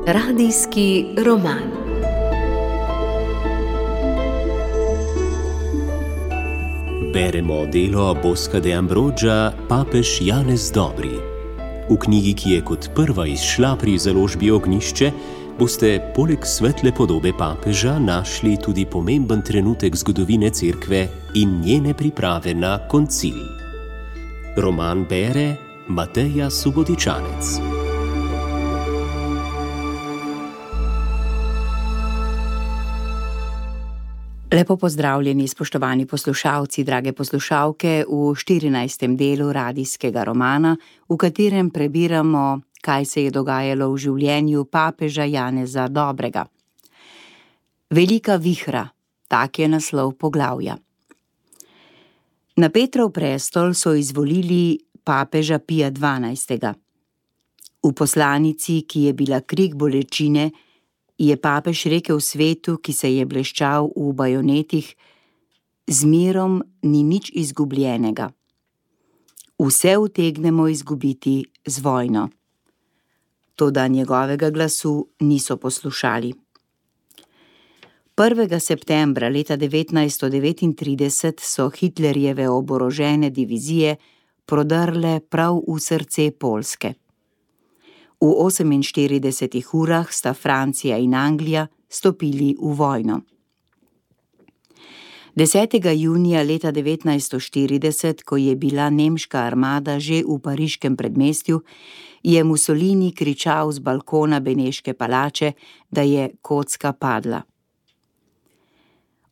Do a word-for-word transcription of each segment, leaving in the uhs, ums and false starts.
Radijski roman. Beremo delo Bosca de Ambroggia Papež Janez Dobri. V knjigi, ki je kot prva izšla pri založbi Ognjišče, boste poleg svetle podobe papeža našli tudi pomemben trenutek zgodovine cerkve in njene priprave na koncil. Roman bere Mateja Subotičanec. Lepo pozdravljeni, spoštovani poslušalci, drage poslušalke, v štirinajstem delu radijskega romana, v katerem prebiramo, kaj se je dogajalo v življenju papeža Janeza Dobrega. Velika vihra, tak je naslov poglavja. Na Petrov prestol so izvolili papeža Pija dvanajstega. V poslanici, ki je bila krik bolečine, je papež rekel svetu, ki se je bleščal v bajonetih: z mirom ni nič izgubljenega. Vse utegnemo izgubiti z vojno. Toda njegovega glasu niso poslušali. prvega septembra leta devetnajststo devetintrideset so Hitlerjeve oborožene divizije prodrle prav v srce Poljske. V oseminštiridesetih urah sta Francija in Anglija stopili v vojno. desetega junija leta devetnajststo štirideset, ko je bila nemška armada že v pariškem predmestju, je Mussolini kričal z balkona Beneške palače, da je kocka padla.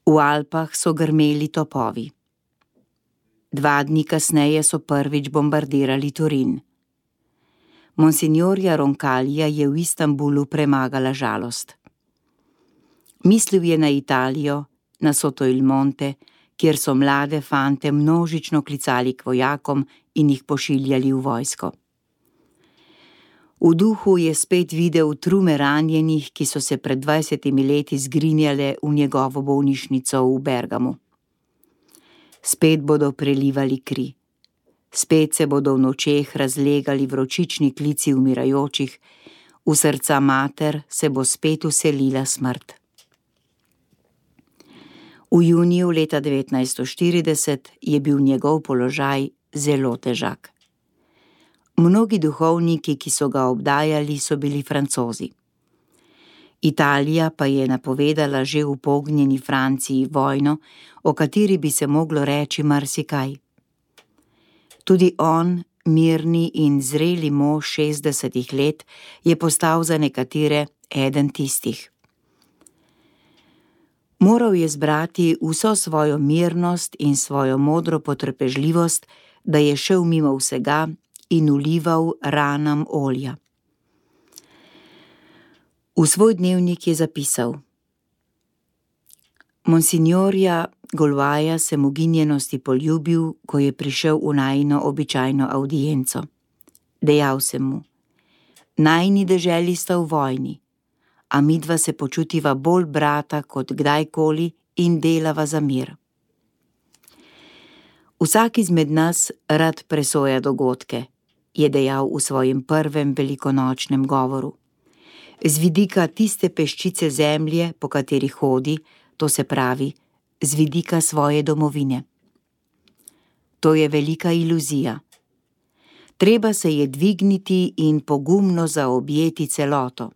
V Alpah so grmeli topovi. Dva dni kasneje so prvič bombardirali Turin. Monsignorja Roncalija je v Istanbulu premagala žalost. Mislil je na Italijo, na Soto il Monte, kjer so mlade fante množično klicali k vojakom in jih pošiljali v vojsko. V duhu je spet videl trume ranjenih, ki so se pred dvajsetimi leti zgrinjale v njegovo bolnišnico v Bergamu. Spet bodo prelivali kri. Spet se bodo v nočeh razlegali vročični klici umirajočih, v srca mater se bo spet vselila smrt. V juniju leta devetnajststo štirideset je bil njegov položaj zelo težak. Mnogi duhovniki, ki so ga obdajali, so bili Francozi. Italija pa je napovedala že v pognjeni Franciji vojno, o kateri bi se moglo reči marsikaj. Tudi on, mirni in zreli mož šestdesetih let, je postal za nekatere eden tistih. Moral je zbrati vso svojo mirnost in svojo modro potrpežljivost, da je šel mimo vsega in vlival ranam olja. V svoj dnevnik je zapisal: Monsignorja Golvaja sem v ginjenosti poljubil, ko je prišel v najino običajno avdienco. Dejal sem mu: najini deželi sta v vojni, a midva se počutiva bolj brata kot kdajkoli in delava za mir. Vsak izmed nas rad presoja dogodke, je dejal v svojem prvem velikonočnem govoru. Z vidika tiste peščice zemlje, po kateri hodi, to se pravi, z vidika svoje domovine. To je velika iluzija. Treba se je dvigniti in pogumno zaobjeti celoto.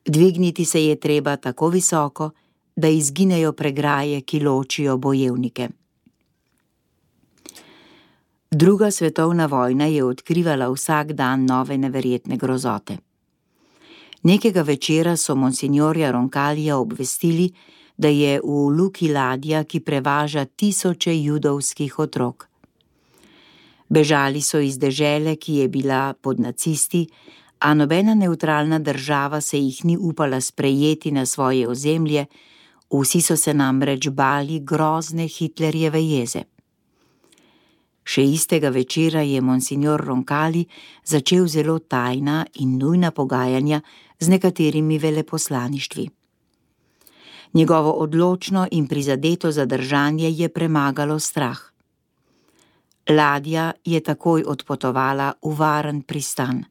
Dvigniti se je treba tako visoko, da izginejo pregraje, ki ločijo bojevnike. Druga svetovna vojna je odkrivala vsak dan nove neverjetne grozote. Nekega večera so monsignorja Roncalija obvestili, da je v luki ladja, ki prevaža tisoče judovskih otrok. Bežali so iz dežele, ki je bila pod nacisti, a nobena nevtralna država se jih ni upala sprejeti na svoje ozemlje, vsi so se namreč bali grozne Hitlerjeve jeze. Še istega večera je monsignor Roncalli začel zelo tajna in nujna pogajanja z nekaterimi veleposlaništvi. Njegovo odločno in prizadeto zadržanje je premagalo strah. Ladja je takoj odpotovala v varen pristan.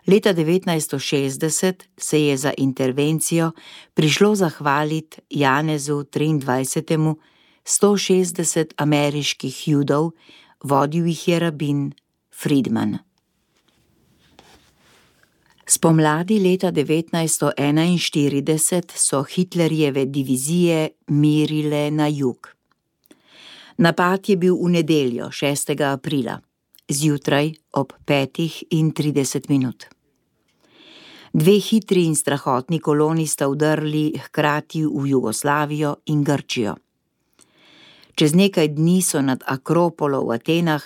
Leta devetnajststo šestdeset se je za intervencijo prišlo zahvaliti Janezu triindvajsetemu sto šestdeset ameriških Judov, vodil jih je rabin Friedman. Spomladi leta devetnajststo enainštirideset so Hitlerjeve divizije mirile na jug. Napad je bil v nedeljo, šestega aprila, zjutraj ob petih in trideset minut. Dve hitri in strahotni koloni sta vdrli hkrati v Jugoslavijo in Grčijo. Čez nekaj dni so nad Akropolo v Atenah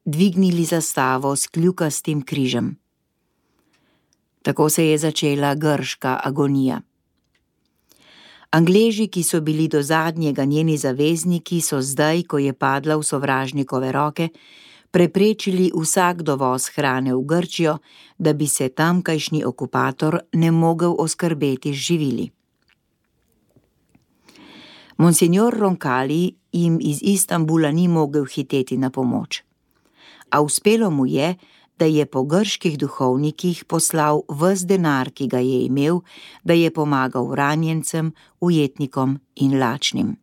dvignili zastavo s kljukastim križem. Tako se je začela grška agonija. Angleži, ki so bili do zadnjega njeni zavezniki, so zdaj, ko je padla v sovražnikove roke, preprečili vsak dovoz hrane v Grčijo, da bi se tamkajšnji okupator ne mogel oskrbeti z živili. Monsignor Roncalli jim iz Istanbula ni mogel hiteti na pomoč, a uspelo mu je, da je po grških duhovnikih poslal ves denar, ki ga je imel, da je pomagal ranjencem, ujetnikom in lačnim.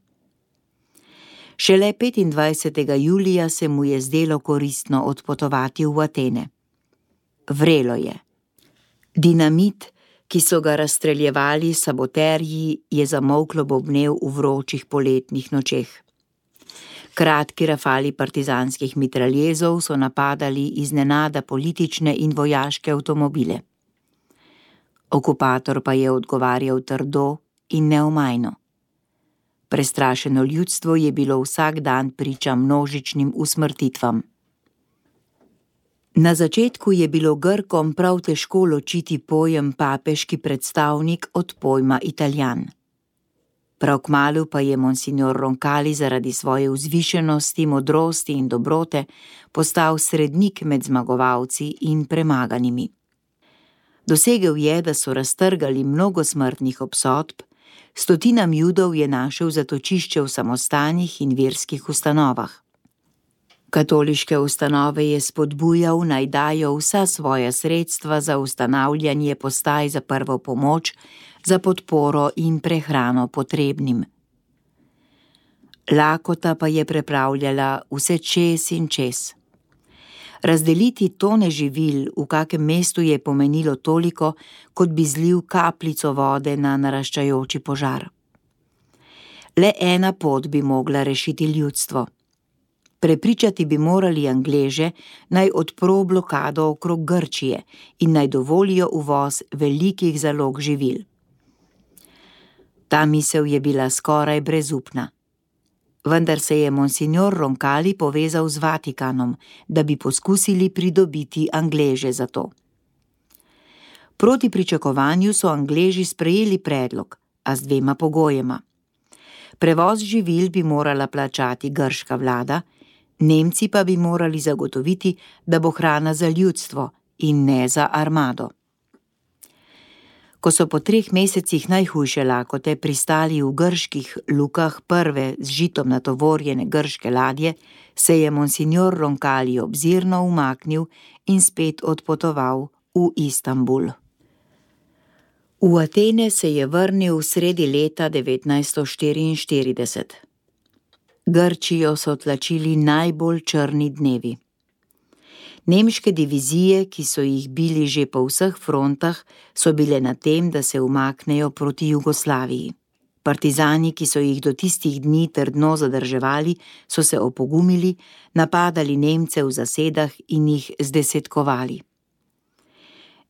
Šele petindvajsetega julija se mu je zdelo koristno odpotovati v Atene. Vrelo je. Dinamit, ki so ga razstreljevali saboterji, je zamolklo bobnel v vročih poletnih nočeh. Kratki rafali partizanskih mitraljezov so napadali iznenada politične in vojaške avtomobile. Okupator pa je odgovarjal trdo in neomajno. Prestrašeno ljudstvo je bilo vsak dan priča množičnim usmrtitvam. Na začetku je bilo Grkom prav težko ločiti pojem papeški predstavnik od pojma Italijan. Prav kmalu pa je monsignor Roncalli zaradi svoje vzvišenosti, modrosti in dobrote postal srednik med zmagovalci in premaganimi. Dosegel je, da so raztrgali mnogo smrtnih obsodb, stotinam Judov je našel zatočišče v samostanih in verskih ustanovah. Katoliške ustanove je spodbujal, naj dajo vsa svoja sredstva za ustanavljanje postaj za prvo pomoč, za podporo in prehrano potrebnim. Lakota pa je prepravljala vse čez in čez. Razdeliti tone živil v kakem mestu je pomenilo toliko, kot bi zlil kapljico vode na naraščajoči požar. Le ena pot bi mogla rešiti ljudstvo. Prepričati bi morali Angleže, naj odpro blokado okrog Grčije in naj dovolijo uvoz velikih zalog živil. Ta misel je bila skoraj brezupna. Vendar se je monsignor Roncalli povezal z Vatikanom, da bi poskusili pridobiti Angleže za to. Proti pričakovanju so Angleži sprejeli predlog, a z dvema pogojema. Prevoz živil bi morala plačati grška vlada, Nemci pa bi morali zagotoviti, da bo hrana za ljudstvo in ne za armado. Ko so po treh mesecih najhujše lakote pristali v grških lukah prve z žitom natovorjene grške ladje, se je monsignor Roncalli obzirno umaknil in spet odpotoval v Istanbul. V Atene se je vrnil sredi leta devetnajststo štiriinštirideset. Grčijo so tlačili najbolj črni dnevi. Nemške divizije, ki so jih bili že po vseh frontah, so bile na tem, da se umaknejo proti Jugoslaviji. Partizani, ki so jih do tistih dni trdno zadrževali, so se opogumili, napadali Nemce v zasedah in jih zdesetkovali.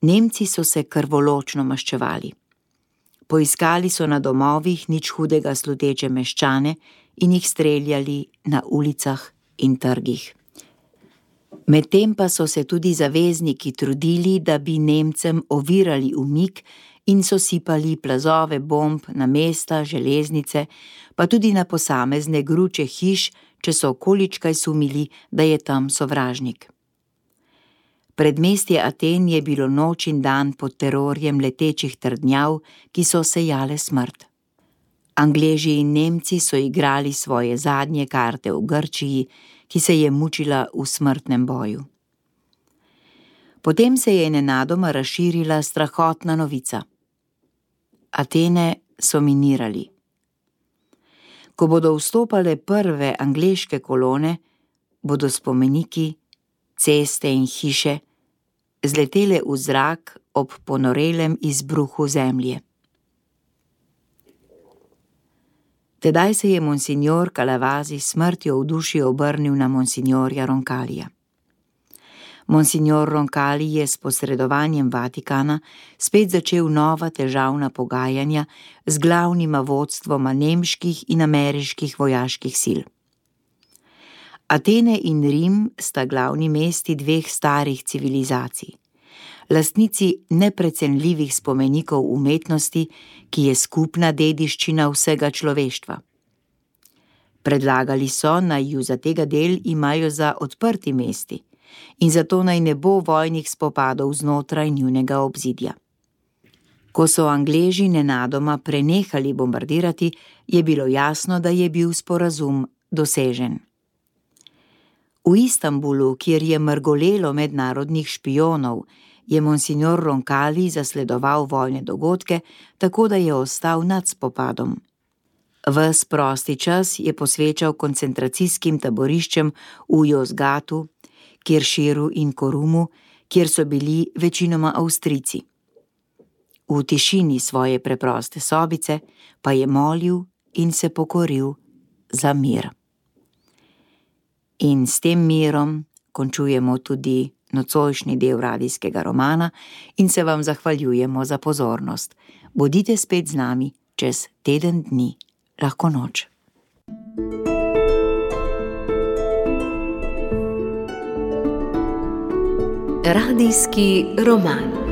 Nemci so se krvoločno maščevali. Poiskali so na domovih nič hudega sluteče meščane in jih streljali na ulicah in trgih. Medtem pa so se tudi zavezniki trudili, da bi Nemcem ovirali umik in so sipali plazove bomb na mesta, železnice, pa tudi na posamezne gruče hiš, če so okoličkaj sumili, da je tam sovražnik. Predmestje Aten je bilo noč in dan pod terorjem letečih trdnjav, ki so sejale smrt. Angleži in Nemci so igrali svoje zadnje karte v Grčiji, ki se je mučila v smrtnem boju. Potem se je nenadoma razširila strahotna novica. Atene so minirali. Ko bodo vstopale prve angleške kolone, bodo spomeniki, ceste in hiše zletele v zrak ob ponorelem izbruhu zemlje. Tedaj se je monsignor Calavasi s smrtjo v duši obrnil na monsignorja Roncalija. Monsignor Roncali je s posredovanjem Vatikana spet začel nova težavna pogajanja z glavnima vodstvoma nemških in ameriških vojaških sil. Atene in Rim sta glavni mesti dveh starih civilizacij, lastnici neprecenljivih spomenikov umetnosti, ki je skupna dediščina vsega človeštva. Predlagali so, naj ju za tega del imajo za odprti mesti in zato naj ne bo vojnih spopadov znotraj njunega obzidja. Ko so Angleži nenadoma prenehali bombardirati, je bilo jasno, da je bil sporazum dosežen. V Istanbulu, kjer je mrgolelo mednarodnih špijonov, je monsignor Roncali zasledoval vojne dogodke, tako da je ostal nad spopadom. Ves prosti čas je posvečal koncentracijskim taboriščem v Yozgatu, Kirširu in Korumu, kjer so bili večinoma Avstrijci. V tišini svoje preproste sobice pa je molil in se pokoril za mir. In s tem mirom končujemo tudi nocojšnji del radijskega romana in se vam zahvaljujemo za pozornost. Bodite spet z nami čez teden dni. Lahko noč. Radijski roman.